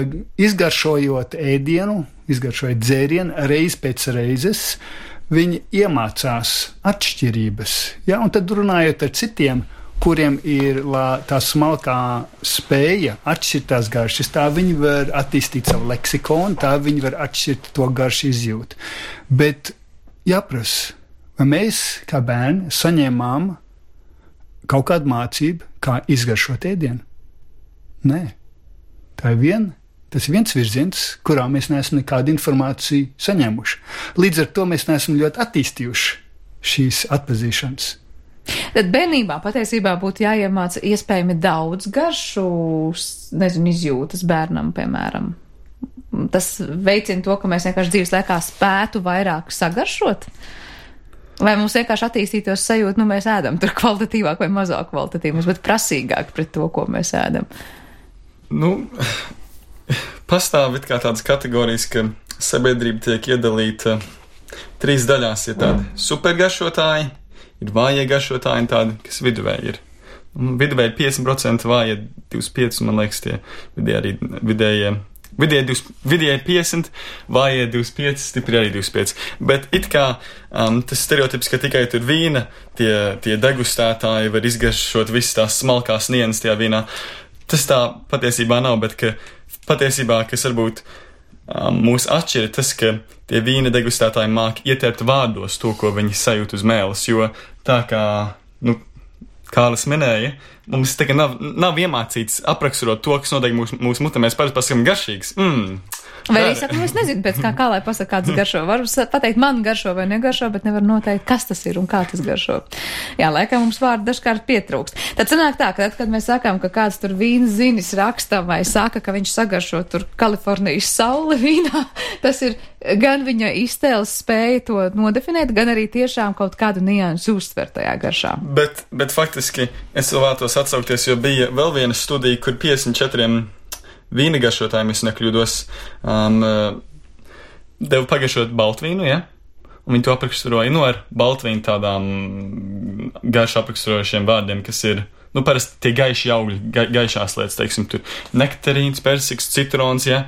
izgaršojot ēdienu, izgaršojot dzērienu reiz pēc reizes, viņi iemācās atšķirības. Ja, un tad runājot ar citiem, kuriem ir lā, tā smalkā spēja atšķirt tās garšas, tā viņi var attīstīt savu leksikonu, tā viņi var atšķirt to garšu izjūtu. Bet jāprasa, vai mēs, kā bērni, saņēmām kaut kādu mācību, kā izgaršot ēdienu? Nē. Tā ir viena, tas ir viens virziens, kurā mēs neesam nekādu informāciju saņēmuši. Līdz ar to mēs neesam ļoti attīstījuši šīs atpazīšanas. Tad bērnībā patiesībā būtu jāiemāca iespējami daudz garšu, nezinu, izjūtas bērnam, piemēram. Tas veicina to, ka mēs vienkārši dzīves laikā spētu vairāk sagaršot? Vai mums vienkārši attīstītos sajūta, nu mēs ēdam tur kvalitatīvāk vai mazāk kvalitatīvāk, bet prasīgāk pret to, ko mēs ēdam? Nu, pastāv it kā tādas kategorijas, ka sabiedrība tiek iedalīta trīs daļās. Ir tādi supergaršotāji, ir vājie garšotāji un tādi, kas viduvēji ir. Viduvēji piecdesmit procenti, vājie divdesmit pieci procenti, man liekas, tie vidēji arī vidējie. Vidēji, vidēji piecdesmit, vājie divdesmit pieci, stipri arī divdesmit pieci. Bet it kā um, tas stereotips, ka tikai tur vīna, tie, tie degustētāji var izgaršot visas tās smalkās nianses tajā vīnā. Tas tā patiesībā nav, bet ka patiesībā, kas varbūt um, mūs atšķir, tas, ka tie vīna degustētāji māk ieterpt vārdos to, ko viņi sajūt uz mēles, jo tā kā, nu, Kārlis minēja, mums tagad nav, nav iemācīts apraksturot to, kas notiek mūsu mūs mutē, mēs parasti pasakām garšīgs. Mm. Vai arī saka, nu es nezinu pēc kā, kā lai pasaka, kāds garšo. Varu pateikt, man garšo vai negaršo, bet nevar noteikt, kas tas ir un kā tas garšo. Jā, laikam mums vārdu dažkārt pietrūkst. Tad sanāk tā, ka tad, kad mēs sakām, ka kāds tur vīnas zinis raksta vai saka, ka viņš sagaršo tur Kalifornijas sauli vīnā, tas ir gan viņa iztēles spēja to nodefinēt, gan arī tiešām kaut kādu niansu uztver tajā garšā. Bet, bet faktiski es vēl vēlētos atsaukties, jo bija vēl viena studija, kur piecdesmit četriem vīna garšotājiem, es nekļūdos, um, deva pagaršot baltvīnu, ja? Un viņi to apraksturoja, nu, ar baltvīnu tādām garšu apraksturojušiem vārdiem, kas ir, nu, parasti tie gaiši augļi, ga, gaišās lietas, teiksim, tur nektarīns, persiks, citrons, ja?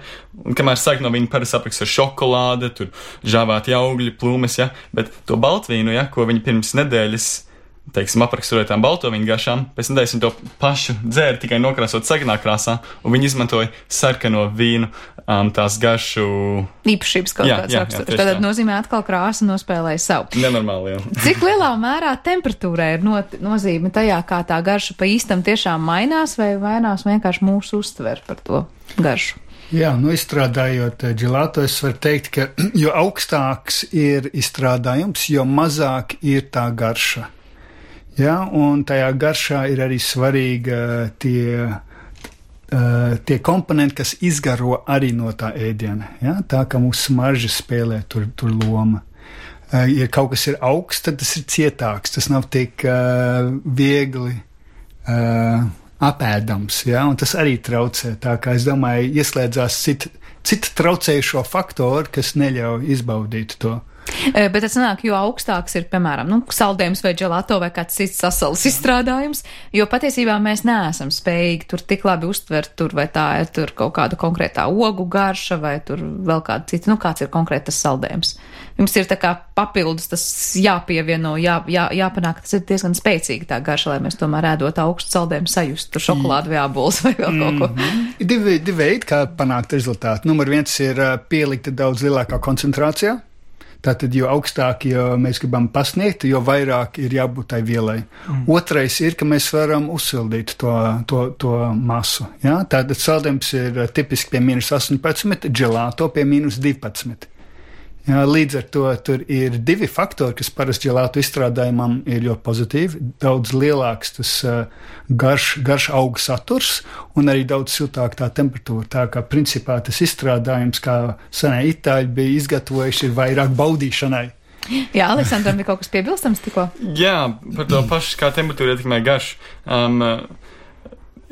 Un kamēr sāk no viņa parasti apraksturo šokolāde, tur žāvāti augļi, plūmes, ja? Bet to baltvīnu, ja, ko viņi pirms nedēļas teiksim, apraksturotām balto viņu garšām, pēc tam taisni to pašu dzēri tikai nokrāsot sarkanā krāsā, un viņi izmantoja sarkano vīnu um, tās garšu īpašības kaut jā, kāds jā, raksturs. jā, Tad nozīmē atkal krāsa nospēlēja savu. Nenormāli, jā. Cik lielā mērā temperatūrai ir not, nozīme tajā, kā tā garša pa īstam tiešām mainās, vai mainās vienkārši mūsu uztver par to garšu? Jā, nu izstrādājot dželāto, es varu teikt, ka jo augstāks ir izstrādājums, jo mazāk ir tā garša. Jā, un tajā garšā ir arī svarīga tie, uh, tie komponenti, kas izgaro arī no tā ēdiena. Jā, tā kā mūsu smarža spēlē tur, tur loma. Uh, ja kaut kas ir augsts, tad tas ir cietāks, tas nav tik uh, viegli uh, apēdams, jā, un tas arī traucē. Tā kā es domāju, ieslēdzās citu cit traucējušo faktoru, kas neļauj izbaudīt to. Bet tas nāk, jo augstāks ir, piemēram, nu, saldējums vai dželato vai kāds cits sasalas izstrādājums, jo patiesībā mēs neesam spējīgi tur tik labi uztvert, tur vai tā ir tur kaut kāda konkrētā ogu garša vai tur vēl kāda cita, nu, kāds ir konkrētas saldējums. Jums ir tā kā papildus tas jāpievieno, jā, jā, jāpanāk, tas ir diezgan spēcīgi tā garša, lai mēs tomēr ēdot augstu saldējumu sajust, tur šokolādu vai ābols vai vēl kaut ko. Mm-hmm. Ir divi, divi veidi, kā panākt rezultātu. Numur viens ir pielikta daudz lielākā koncentrācijā. Tātad, jo augstāk, jo mēs gribam pasniegt, jo vairāk ir jābūt tai vielai. Mm. Otrais ir, ka mēs varam uzsildīt to, to, to masu. Ja? Tātad saldējums ir tipiski pie mīnus astoņpadsmit, dželāto pie mīnus divpadsmit. Ja? Līdz ar to tur ir divi faktori, kas parasti dželāto izstrādājumam ir ļoti pozitīvi. Daudz lielāks tas uh, garš, garš auga saturs un arī daudz siltāk tā temperatūra. Tā kā principā tas izstrādājums, kā senie itāļi bija izgatavojuši, ir vairāk baudīšanai. Jā, Aleksandram bija kaut kas piebilstams tikko? Jā, par to pašu, kā temperatūra ietekmē garšu. Um,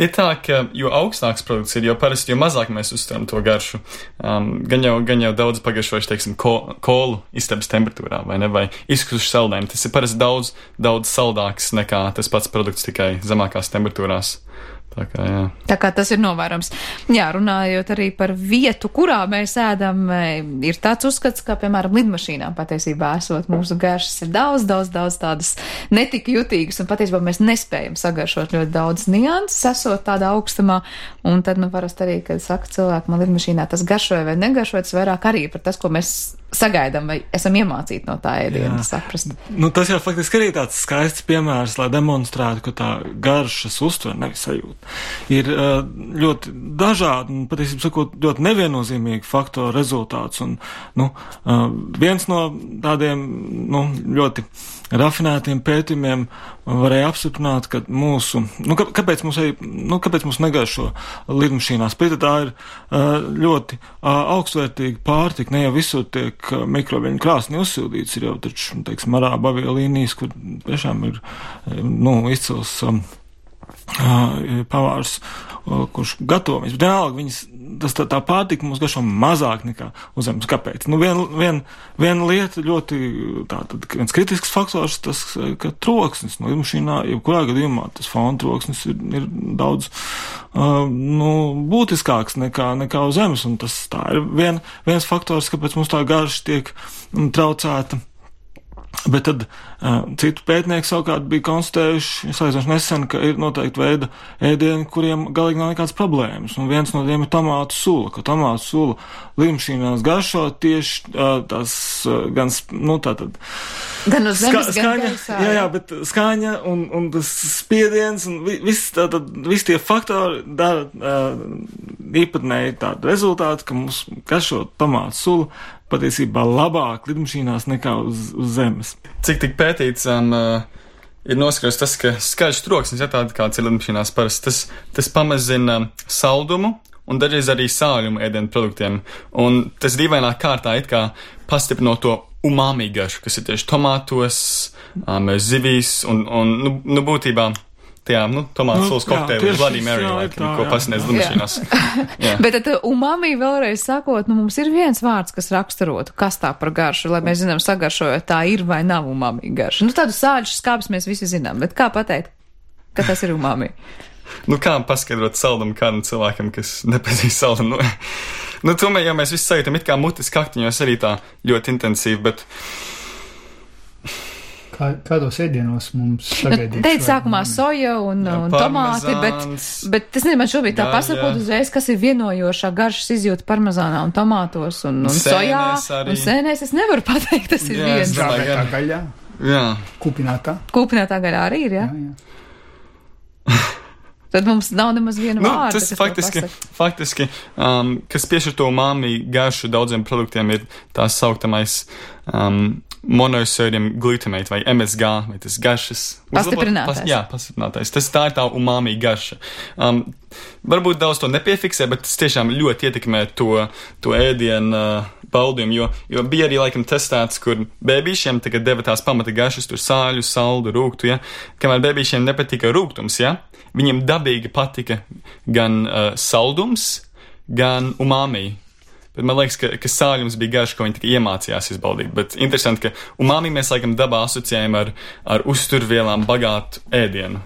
Ir tā, ka jo augstāks produkts ir, jo parasti, jo mazāk mēs uztveram to garšu. Um, gan, jau, gan jau daudz pagaršojuši, teiksim, ko, kolu istabas temperatūrā, vai ne, vai izkusuši saldējumu. Tas ir parasti daudz, daudz saldāks nekā tas pats produkts tikai zemākās temperatūrās. Tā kā, jā. Tā kā tas ir novērams. Jā, runājot arī par vietu, kurā mēs ēdam, ir tāds uzskats, ka, piemēram, lidmašīnām patiesībā esot mūsu garšas ir daudz, daudz, daudz tādas netik jutīgas, un patiesībā mēs nespējam sagaršot ļoti daudz nianses, esot tādā augstumā, un tad, nu, parasti arī, kad saka cilvēki, man lidmašīnā tas garšoja vai negaršoja, tas vairāk arī par tas, ko mēs sagaidām vai esam iemācīti no tā ēdiena saprast. Nu, tas jau faktiski arī tāds skaists piemērs, lai demonstrētu, ka tā garšas uztver, nevis sajūta, ir ļoti dažādi un, patiesībā sakot, ļoti neviennozīmīgi faktoru rezultāts. Un, nu, viens no tādiem, nu, ļoti rafinētiem pētījumiem varēja apstiprināt, ka mūsu, nu, kāpēc mums, nu, kāpēc mums negaršo lidmašīnās, bet tā ir ļoti augstvērtīga pārtika, ne jau visur tiek mikroviļņu krāsni uzsildīts, ir jau taču, teiksim, arābu aviolīnijas, kur tiešām ir, nu, izcils um, uh, pavārs, uh, kurš gatavojas. Bet vienalga, viņas, tas tā, tā pārtika mums garšo mazāk nekā uz zemes. Kāpēc? Nu, viena vien, vien lieta ļoti, tā, tad, viens kritisks faktors, tas, ka troksnis, no lidmašīnā, jebkurā gadījumā, tas fona troksnis ir, ir daudz, uh, nu, būtiskāks nekā, nekā uz zemes, un tas tā ir vien, viens faktors, kāpēc mums tā garša tiek um, traucēta. Bet tad uh, citu pētnieki savukārt bija konstatējuši, salīdzinoši nesen, ka ir noteikti veida ēdieni, kuriem galīgi nav nekādas problēmas. Un viens no tiem ir tomātu sula, ka tomātu sula lidmašīnās garšo tieši uh, tās uh, gan, nu, tātad. Gan uz zemes, ska, skaņa, gan gaisā. Jā, jā, bet skaņa un, un tas spiediens un viss tātad, viss tie faktori dara uh, īpatnēji tādu rezultātu, ka mums garšo tomātu sula patiesībā labāk lidmašīnās nekā uz, uz zemes. Cik tik pētīts, um, uh, ir noskaidrots tas, ka skaļš troksnis, ja tāda kāds ir lidmašīnās parasti, tas, tas pamazina saldumu un dažreiz arī sāļumu ēdienu produktiem. Un tas dīvainā kārtā it kā pastiprino to umami garšu, kas ir tieši tomātos, um, zivīs un, un nu, nu būtībā tajā, nu, tomātu sulas nu, kokteili, Bloody Mary, laikam, ko pasniedz lidmašīnās. Bet tad umami vēlreiz sakot, nu, mums ir viens vārds, kas raksturotu, kas tā par garšu, lai mēs zinām sagaršojot, tā ir vai nav umami garša. Nu, tādu sāļu skābes mēs visi zinām, bet kā pateikt, ka tas ir umami? Nu, kā paskaidrot saldumu kādam cilvēkam, kas nepazīst saldumu? Nu, nu, tomēr jau mēs visi sajūtam, it kā mutis kaktiņos arī tā ļoti intensīvi, bet... Kā, kādos ēdienos mums sagaidīt? Nu, teica sākumā soja un, Jā, un tomāti, bet, bet es nezinu, man šobrīd tā pasakot uzreiz, kas ir vienojošā garšas izjūta parmezānā un tomātos un, un sojā arī. un sēnēs. Es nevaru pateikt, tas ir Jā, viens. Žāvētā gaļā, Jā. kupinātā. Kūpinātā gaļā arī ir, jā? Jā, jā. Tad mums nav nemaz viena Nu, vārda, tas kas faktiski, to pasaka. faktiski um, kas piešķir to umami garšu daudziem produktiem, ir tā sauktamais um, monosodium glutamate vai M S G, vai tas garšas. Pastiprinātais. Pas, jā, pastiprinātais. Tas tā ir tā umami garša. Um, varbūt daudz to nepiefiksē, bet tas tiešām ļoti ietekmē to, to ēdienu uh, baudījumu, jo, jo bija arī laikam testēts, kur bēbīšiem tagad deva tās pamata garšas, tur sāļu, saldu, rūgtu, ja, kamēr bēbīšiem nepatika rūgtums, ja, viņiem dabīgi patika gan uh, saldums, gan umami. Bet man liekas, ka, ka sāļums bija garš, ko viņi tikai iemācījās izbaudīt. Bet interesanti, ka umami mēs laikam dabā asociējam ar, ar uzturvielām bagātu ēdienu.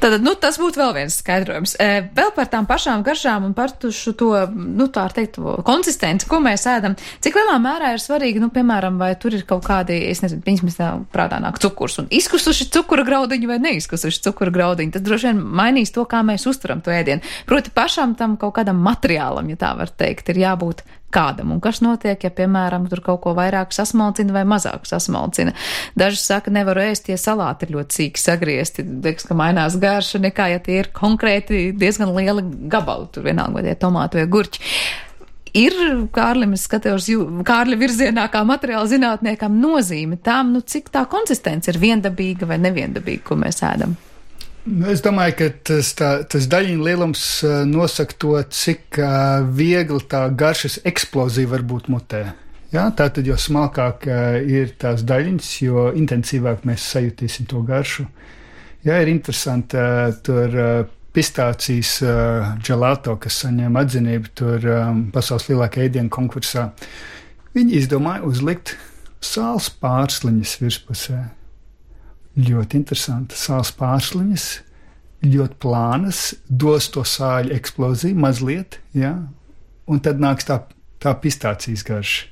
Tātad, nu, tas būtu vēl viens skaidrojums. E, vēl par tām pašām garšām un par šo to, nu, tā ar teikt, konsistenci, ko mēs ēdam. Cik lielā mērā ir svarīgi, nu, piemēram, vai tur ir kaut kādi, es nezinu, viņas tā prātā nāk cukurs un izkusuši cukura graudiņi vai neizkusuši cukura graudiņi. Tas droši vien mainīs to, kā mēs uztveram to ēdienu. Proti pašam tam kaut kādam materiālam, ja tā var teikt, ir jābūt kādam, un kas notiek, ja, piemēram, tur kaut ko vairāk sasmalcina vai mazāk sasmalcina. Daži saka, nevaru ēst, ja salāti ir ļoti sīki sagriezti, liekas, ka mainās garša nekā, ja tie ir konkrēti diezgan lieli gabali, tur vienalga, vai tie tomāti vai gurķi. Ir, Kārlim, es skatījos Kārļa virzienā kā materiāla zinātniekam nozīme tām, nu, cik tā konsistence ir viendabīga vai neviendabīga, ko mēs ēdam. Es domāju, ka tas, tā, tas daļiņu lielums nosaka to, cik uh, viegli tā garšas eksplozija var būt mutē. Ja? Tātad, jo smalkāk uh, ir tās daļiņas, jo intensīvāk mēs sajutīsim to garšu. Ja, ir interesanti, uh, tur uh, pistācijas uh, gelato, kas saņem atzinību tur um, pasaules lielākā ēdienu konkursā. Viņi izdomāja uzlikt sāls pārsliņas virspusē. Ļoti interesanti. Sāls pārsliņas, ļoti plānas, dos to sāļu eksploziju mazliet, ja? Un tad nāks tā, tā pistācijas garša.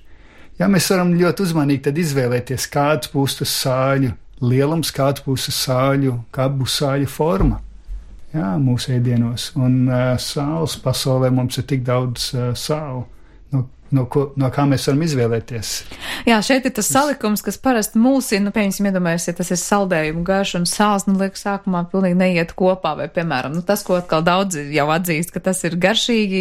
Ja, mēs varam ļoti uzmanīgi tad izvēlēties, kāds būs tas sāļu lielums, kāds būs tas sāļu, kā būs sāļu forma, ja, mūsu ēdienos. Un uh, sāls pasaulē mums ir tik daudz uh, sālu. No, no, ko, no kā mēs varam izvēlēties. Jā, šeit ir tas salikums, kas parasti mulsina, nu, piemēram, iedomājies, ja tas ir saldējumu garš un sāls, nu, liekas, sākumā pilnīgi neiet kopā, vai, piemēram, nu, tas, ko atkal daudz jau atzīst, ka tas ir garšīgi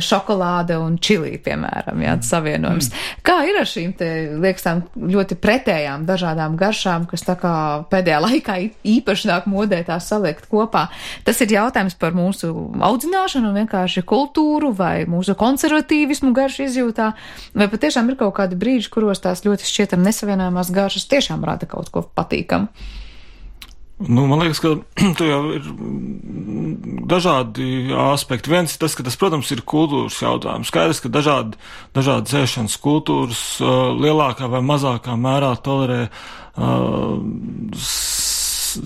šokolāde un čilī, piemēram, jā, tas savienojums. Mm. Kā ir ar šīm te, liekas, tām ļoti pretējām dažādām garšām, kas tā kā pēdējā laikā īpaši nāk modē tās saliekt kopā? Tas ir jautājums par mūsu audzināšanu un vienkārši kultūru vai mūsu konservatīvismu garšu izjūtu. Vai patiešām ir kaut kādi brīži, kuros tās ļoti šķietam nesavienojamās garšas tiešām rada kaut ko patīkamu? Nu, man liekas, ka tu jau ir dažādi aspekti. Viens ir tas, ka tas, protams, ir kultūras jautājums. Skaidrs, ka dažādi, dažādi ēšanas kultūras uh, lielākā vai mazākā mērā tolerē, uh, s,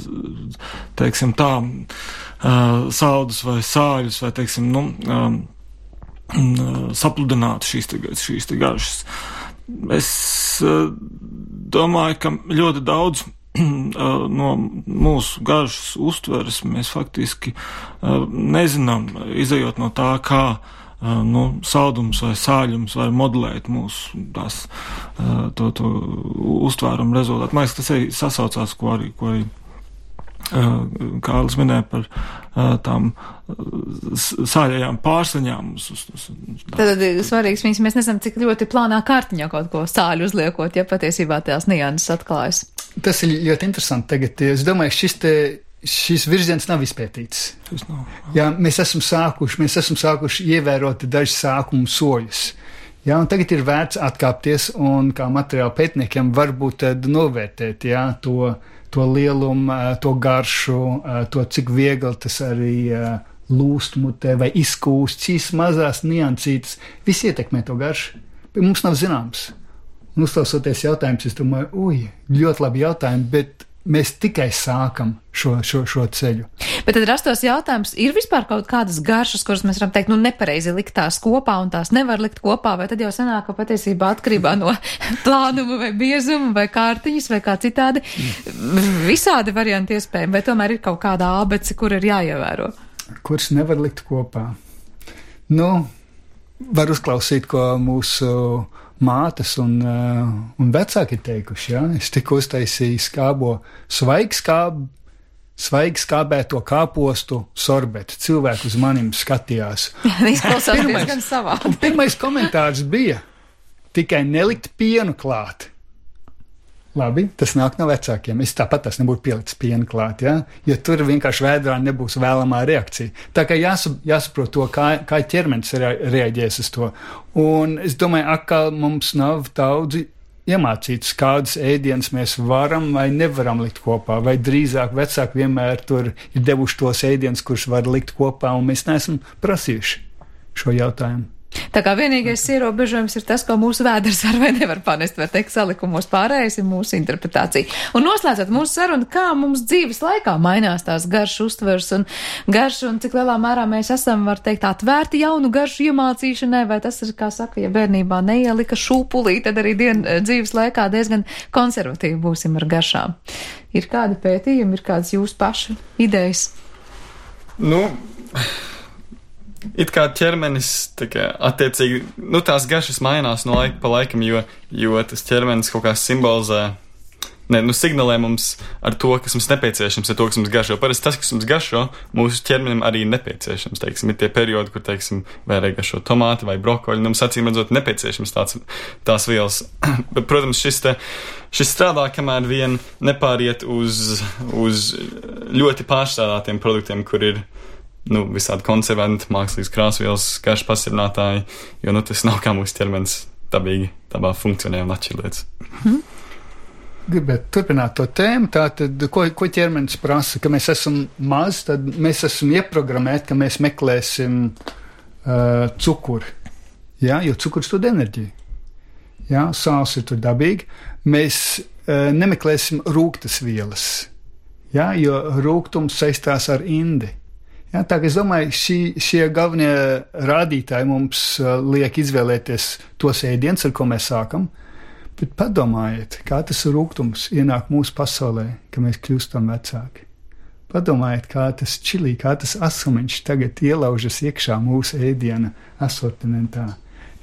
teiksim tā, uh, saldus vai sāļus vai, teiksim, nu, um, sapludināt šīs, te, šīs te garšas. Es uh, domāju, ka ļoti daudz uh, no mūsu garšas uztveres mēs faktiski uh, nezinām, izejot no tā, kā uh, nu, saldums vai sāļums var modelēt mūsu tās, uh, to, to uztvērumu rezultātu. Man liekas, tas arī sasaucās, ko arī, ko arī uh, Kārlis minēja par uh, tām sāļajām pārsliņām. Tad svarīgs viņas, mēs nezinām, cik ļoti plānā kārtiņā kaut ko sāļu uzliekot, ja patiesībā tās nianses atklājas. Tas ir ļoti interesanti tagad. Es domāju, šis te, šis virziens nav izpētīts. Tas nav. Jā, mēs esam sākuši, mēs esam sākuši ievērot dažus sākumu soļus. Jā, un tagad ir vērts atkāpties un kā materiāla pētniekiem varbūt tad novērtēt, jā, to, to lielumu, to garšu, to, cik viegli tas arī lūst mutē vai izkūst, šīs mazās niansītes, viss ietekmē to garšu. Mums nav zināms. Un uzklausoties jautājumus, es domāju, uj, ļoti labi jautājumi, bet mēs tikai sākam šo, šo, šo ceļu. Bet tad rastos jautājums, ir vispār kaut kādas garšas, kuras mēs varam teikt, nu nepareizi likt tās kopā un tās nevar likt kopā, vai tad jau sanāk, ka patiesībā atkarībā no plānuma vai biezuma vai kārtiņas vai kā citādi visādi varianti iespējami, vai tomēr ir kaut kāda ābece, kur ir jāievēro? Kuras nevar likt kopā? Nu, var uzklausīt, ko mūsu mātes un, uh, un vecāki ir teikuši, ja? Es tikko uztaisīju skābo svaigu skābu, svaigu skābēto kāpostu sorbetu. Cilvēki uz manim skatījās. Izklausās diezgan savādi. Pirmais komentārs bija tikai nelikt pienu klāt. Labi, tas nāk no vecākiem. Es tāpat tas nebūtu pielicis pienu klāt, ja? Jo tur vienkārši vēdrā nebūs vēlamā reakcija. Tā kā jāsap, jāsaprot to, kā, kā ķermenis reaģēs uz to. Un es domāju, atkal mums nav daudzi iemācīts, kādas ēdienas mēs varam vai nevaram likt kopā, vai drīzāk vecāki vienmēr tur ir devuši tos ēdienas, kurus var likt kopā, un mēs neesam prasījuši šo jautājumu. Tā kā vienīgais ierobežojums ir tas, ko mūsu vēders var vai nevar panest, var teikt, salikumos pārējais ir mūsu interpretācija. Un noslēdzot mūsu sarunu, kā mums dzīves laikā mainās tās garšu uztvers un garšu, un cik lielā mērā mēs esam, var teikt, atvērti jaunu garšu iemācīšanai, vai tas ir, kā saka, ja bērnībā neielika šūpulī, tad arī dien, dzīves laikā diezgan konservatīvi būsim ar garšām. Ir kādi pētījumi, ir kādas jūsu pašu idejas? Nu... It kā ķermenis, tā kā attiecīgi, nu tās garšas mainās no laika pa laikam, jo, jo tas ķermenis kaut kā simbolizē, ne, nu signalē mums ar to, kas mums nepieciešams, ar to, kas mums garšo. Parasti tas, kas mums garšo, mūsu ķermenim arī nepieciešams, teiksim, ir tie periodi, kur, teiksim, vairāk garšo tomāti vai brokoļi, nu mums acīm redzot nepieciešams tāds, tās vielas. Bet, protams, šis te, šis strādā, kamēr vien nepāriet uz, uz ļoti pārstrādātiem produktiem, kur ir nu, visādi konservanti, mākslīgas krāsvielas, garšu pastiprinātāji, jo, nu, tas nav kā mūsu ķermenis dabīgi, dabā funkcionē un atšķir lietas. Hmm. Gribētu turpināt to tēmu, tātad, ko, ko ķermenis prasa, ka mēs esam maz, tad mēs esam ieprogrammēti, ka mēs meklēsim uh, cukuru, jā, jo cukurs dod enerģiju, jā, sāls ir tur dabīgi, mēs uh, nemeklēsim rūgtas vielas, jā, jo rūgtums saistās ar indi. Jā, tā kā es domāju, šī, šie galvenie rādītāji mums uh, liek izvēlēties tos ēdienus, ar ko mēs sākam, bet padomājiet, kā tas rūgtums ienāk mūsu pasaulē, ka mēs kļūstam vecāki. Padomājiet, kā tas čilī, kā tas asumiņš tagad ielaužas iekšā mūsu ēdiena asortimentā.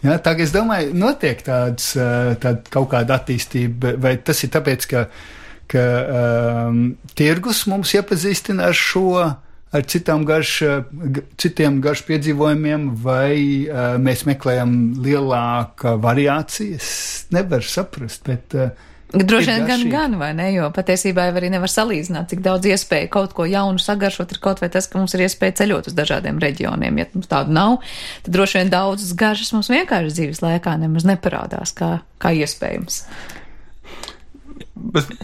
Jā, tā kā es domāju, notiek tāds, uh, tāda kaut kāda attīstība, vai tas ir tāpēc, ka, ka um, tirgus mums iepazīstina ar šo, ar citām garš, citiem garšu piedzīvojumiem, vai uh, mēs meklējam lielāku variācijas, nevar saprast, bet uh, droši vien gan, gan, vai ne, jo patiesībā jau arī nevar salīdzināt, cik daudz iespēju kaut ko jaunu sagaršot, ir kaut vai tas, ka mums ir iespēja ceļot uz dažādiem reģioniem. Ja mums tādu nav, tad droši vien daudzas garšas mums vienkārši dzīves laikā nemaz neparādās kā, kā iespējams. Bet...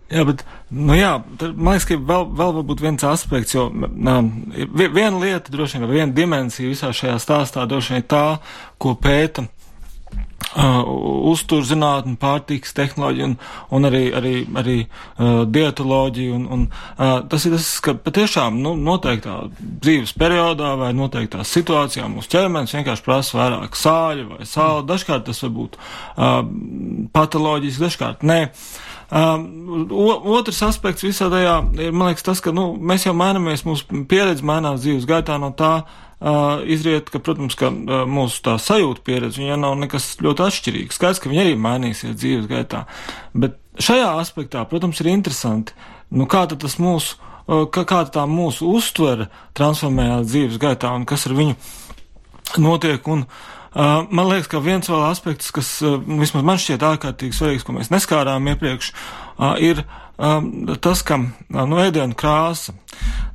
Jā, bet, nu jā, tad, man liekas, ka vēl, vēl varbūt viens aspekts, jo nā, viena lieta, droši vien, viena dimensija visā šajā stāstā, droši vien ir tā, ko pēta uh, uzturzinātne, pārtikas tehnoloģija un, un arī, arī, arī uh, dietoloģija. Un, un, uh, tas ir tas, ka patiešām nu, noteiktā dzīves periodā vai noteiktā situācijā mūsu ķermenis vienkārši prasa vairāk sāļu vai sāla. Dažkārt tas var būt uh, patoloģiski, dažkārt nē. Um, otrs aspekts visā tajā ir, man liekas, tas, ka nu, mēs jau mainamies, mūsu pieredze mainās dzīves gaitā, no tā uh, izriet, ka, protams, ka uh, mūsu tā sajūta pieredze, viņa nav nekas ļoti atšķirīgs. Skaidrs, ka viņa arī mainīsies dzīves gaitā. Bet šajā aspektā, protams, ir interesanti, nu, kā tad tas mūsu, uh, kā, kā tā mūsu uztvere transformējās dzīves gaitā un kas ar viņu notiek. Un Uh, man liekas, ka viens vēl aspekts, kas uh, vismaz man šķiet ārkārtīgi svarīgs, ko mēs neskārām iepriekš, uh, ir um, tas, ka uh, nu, ēdienu krāsa.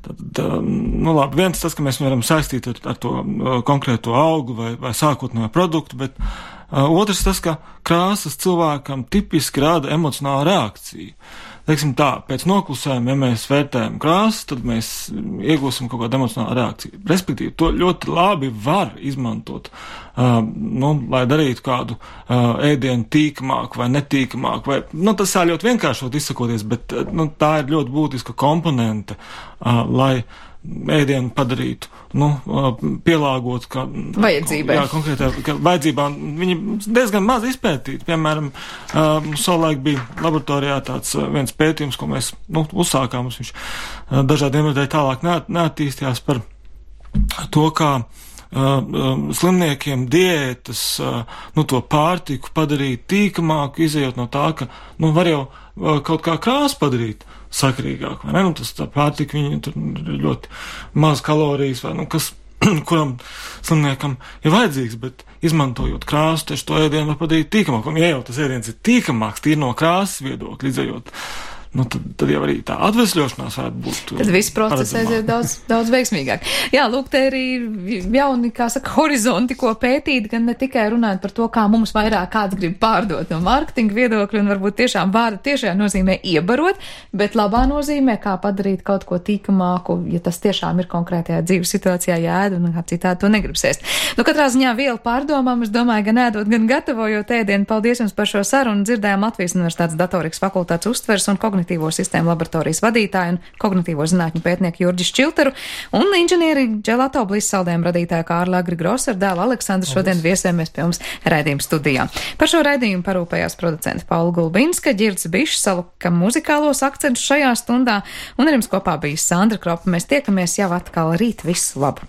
Tad, uh, nu labi, viens tas, ka mēs varam saistīt ar, ar to uh, konkrēto augu vai, vai sākotnējo produktu, bet uh, otrs tas, ka krāsas cilvēkam tipiski rada emocionālu reakciju. Teiksim tā, pēc noklusējuma, ja mēs vērtējam krāsas, tad mēs iegūsim kaut kādu emocionālu reakciju. Respektīvi, to ļoti labi var izmantot uh, nu, lai darītu kādu uh, ēdienu tīkamāku vai netīkamāku, vai, nu, tas tā ļoti vienkāršot izsakoties, bet, uh, nu, tā ir ļoti būtiska komponente, uh, lai ēdienu padarītu, nu, pielāgot, kā vajadzībai. Jā, konkrētā vajadzībām. Viņi diezgan maz izpētīti. Piemēram, savulaik bija laboratorijā tāds viens pētījums, ko mēs, nu, uzsākām, viņš dažādiem iemesļiem tālāk neattīstījās par to, kā slimniekiem diētas, nu, to pārtiku padarīt tīkamāku, izējot no tā, ka, nu, var jau kaut kā krāsu padarīt sakarīgāk, vai ne? Nu, tas tā pārtika, viņi tur ļoti maz kalorijas, vai, nu, kas, kuram slimniekam ir vajadzīgs, bet izmantojot krāsu, tieši to ēdienu var padarīt tīkamāk. Un, ja jau tas ēdiens ir tīkamāks, tīri no krāsas viedokļa, izējot, nu, tad, tad jau arī tā atvesļošanās varētu būt. Tad viss process aiziet daudz, daudz veiksmīgāk. Jā, lūk, te arī jauni, kā saka, horizonti, ko pētīt, gan ne tikai runāt par to, kā mums vairāk kāds grib pārdot no mārketinga viedokļa, un varbūt tiešām vārda tiešām nozīmē iebarot, bet labā nozīmē, kā padarīt kaut ko tīkamāku, ja tas tiešām ir konkrētajā dzīves situācijā jāēd, un kā citādi to negrib sēst. Nu, katrā ziņā viela pārdomām, es domāju, gan ēdot, gan gatavojot ēdienu. Paldies jums par šo sarunu. Dzirdējām Latvijas Universitātes datorikas fakultātes uztveres un kognitīvo sistēmu laboratorijas vadītāju un kognitīvo zinātņu pētnieku Jurģi Šķilteru un inženieri Gelato Bliss saldējumu radītāju Kārli Agri Grosser dēlu Aleksandru šodien viesējamies pie mums raidījuma studijā. Par šo raidījumu parūpējās producenta Paula Gulbinska, Ģirds Bišs salika muzikālos akcentus šajā stundā, un ar jums kopā bija Sandra Kropa. Mēs tiekamies jau atkal rīt. Visu labu!